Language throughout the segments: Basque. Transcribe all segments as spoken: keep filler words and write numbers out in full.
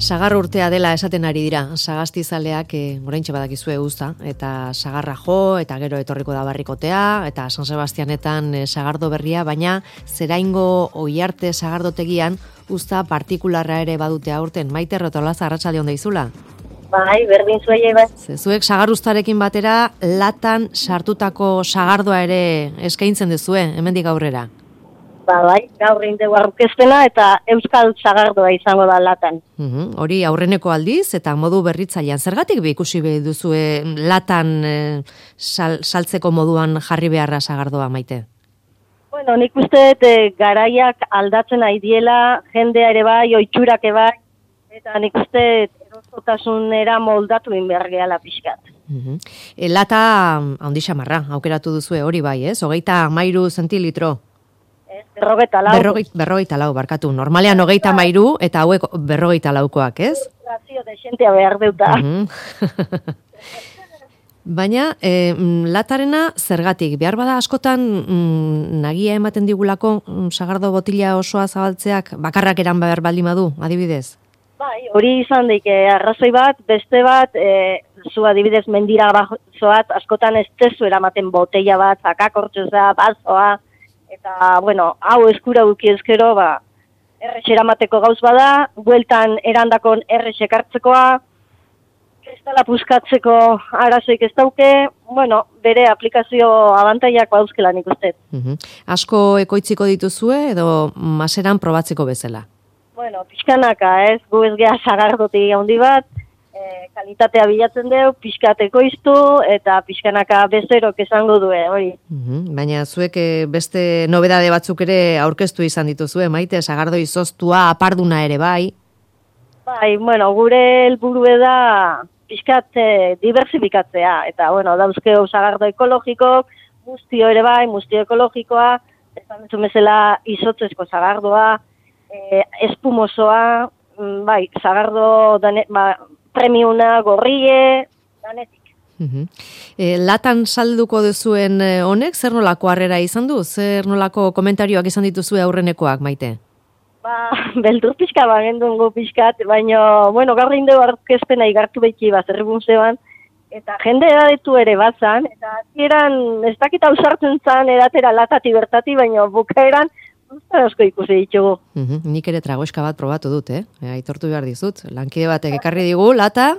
Sagar urtea dela esaten ari dira, sagastizaleak e, oraintxe badakizue uzta, eta sagarra jo, eta gero etorriko da barrikotea, eta San Sebastianetan e, sagardo berria, baina Zeraingo Oiarte sagardotegian uzta partikularra ere badute aurten. Maite Rotolaza, arratsalde on deizula. Bai, berdin zuei bai. Zuek sagaruztarekin batera latan sartutako sagardoa ere eskaintzen duzue, hemendik aurrera. Ba, bai, gaur indegu aurkezpena eta euskal sagardoa izango da latan. Uhum, hori aurreneko aldiz eta modu berritzailean. Zergatik be ikusi be duzue latan e, sal, saltzeko moduan jarri beharra sagardoa, Maite? Bueno, nik uste dut e, garaiak aldatzen ari diela, jendea ere bai, oitxurak ere bai, eta nik uste erosotasunera moldatu in behar gehala pixkat. Uhum. E, lata handi xamarra, aukeratu duzue hori bai, ez? Hogeita hamairu zentilitro. Berrogeita lau. Berrogeita, berrogeita lau, barkatu. Normalean hogeita mairu eta hauek berrogeita laukoak, ez? Razio de xentea behar deuta. Uh-huh. Baina, e, latarena zergatik? Behar bada askotan mm, nagia ematen digulako mm, sagardo botila osoa zabaltzeak bakarrak eran behar baldin badu, adibidez? Bai, hori izan daik, arrazoi bat, beste bat, e, zu adibidez mendira bazoat, askotan ez tezu eramaten botella bat, zakakortxoza, bazoa, eta, bueno, hau eskura duki ezkero, ba, errex eramateko gauz bada, bueltan erandakon errex ekartzekoa, kristala puskatzeko arazoik ez dauke, bueno, bere aplikazio abantaiak bauzkela nik uste. Uh-huh. Asko ekoitziko dituzue edo maseran probatzeko bezala? Bueno, pixkanaka, ez, gu ez geha sagardotik handi bat, e, kalitatea bilatzen deu, pixkateko iztu, eta pixkanaka bezerok esango due, hori. Uhum, baina zuek beste nobedade batzuk ere aurkeztu izan dituzue, Maite, sagardo izoztua, aparduna ere bai? Bai, bueno, gure helburue da pixkat e, diversifikatzea, eta, bueno, dauzkeo sagardo ekologikok, muztio ere bai, muztio ekologikoa, esan dut bezala izotzezko sagardoa, e, espumosoa, bai, sagardo dane, ba, premiuna, gorrie, danetik. Uhum. E, latan salduko duzuen honek, zer nolako harrera izan du? Zer nolako komentarioak izan dituzue aurrenekoak, Maite? Ba, beldur pixka bagendun gu pixkat, baina, bueno, gaur inde aurkezpena igartu behiki bat, errebun zeban, eta jende edadetu ere batzan, eta eran, ez dakit hau sartzen zan edatera latati bertati, baina bukaeran, Uztan asko ikusi ditugu. Uhum, nik ere tragoeska bat probatu dut, eh? Aitortu behar dizut. Lankide batek ekarri digu, lata,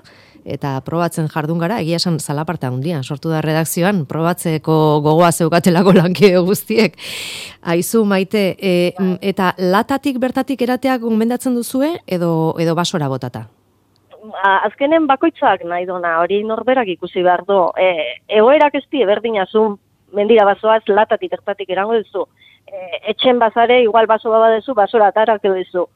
eta probatzen jardun gara, egia esan zalaparta handia, sortu da redakzioan, probatzeko gogoa zeukatelako lankide guztiek. Aizu, Maite, e, eta latatik bertatik erateak gomendatzen duzue, edo, edo basora botata? Azkenen bakoitzak nahi dona, hori norberak ikusi behar du. E, egoerak ez di, berdina zu, mendira basoaz, latatik bertatik erango duzu. Etxen bazare, igual baso baba dezu, basora atarak edo dezu.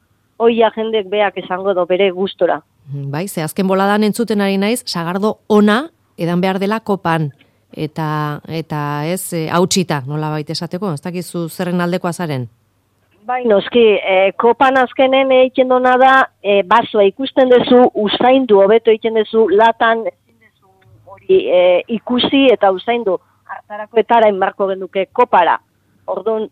Oia jendek beak esango do bere gustora. Bai, ze azken boladan entzuten ari naiz, sagardo ona edan behar dela kopan. Eta, eta ez, e, hautsita, nola baita esateko, ez dakizu zerren aldekoa zaren? Bai, noski, e, kopan azkenen egiten dona da, e, basoa ikusten dezu, usaindu, hobeto egiten dezu, latan, ezin dezu hori e, ikusi eta usaindu. Hartarako etara inbarko genduke kopara. Orduan,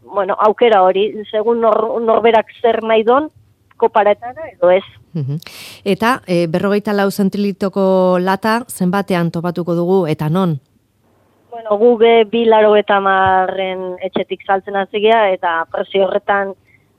bueno, aukera hori, segun nor, norberak zer nahi don, koparetara edo ez. Uhum. Eta e, berrogeita lau zentilitoko lata zenbatean topatuko dugu eta non? Bueno, gu be bi laro eta marren etxetik saltzen hazigea eta prezio horretan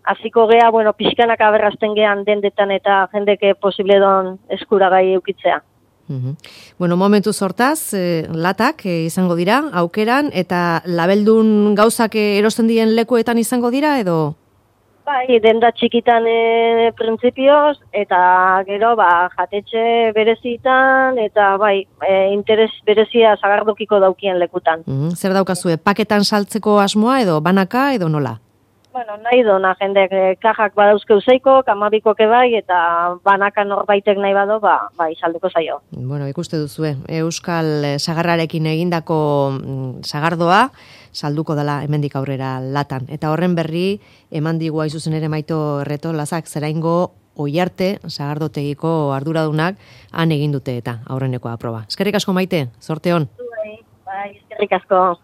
hasiko gea, bueno, pixkanak aberrazten gean dendetan eta jendeke posible don eskuragai eukitzea. Uhum. Bueno, momentu sortaz, eh, latak eh, izango dira, aukeran, eta labeldun gauzak erosten dien lekuetan izango dira, edo? Bai, denda txikitan e, printzipioz, eta gero, ba, jatetxe berezitan, eta bai, e, interes berezia sagardokiko daukien lekutan. Uhum. Zer daukazue, paketan saltzeko asmoa, edo banaka, edo nola? Bueno, nahi dona, jendek eh, kajak badauzke useiko, kamabikoke bai, eta banaka norbaitek nahi bado, ba, bai, salduko zaio. Bueno, ikuste duzue, Euskal Sagarrarekin egindako mm, sagardoa, salduko dela hemendik aurrera latan. Eta horren berri, eman digu aizuzen ere Maito Retolazak, Zeraingo Oiarte sagardotegiko arduradunak han egin dute eta aurrenekoa aproba. Eskerrik asko, Maite, zorte on. Bai, bai, eskerrik asko.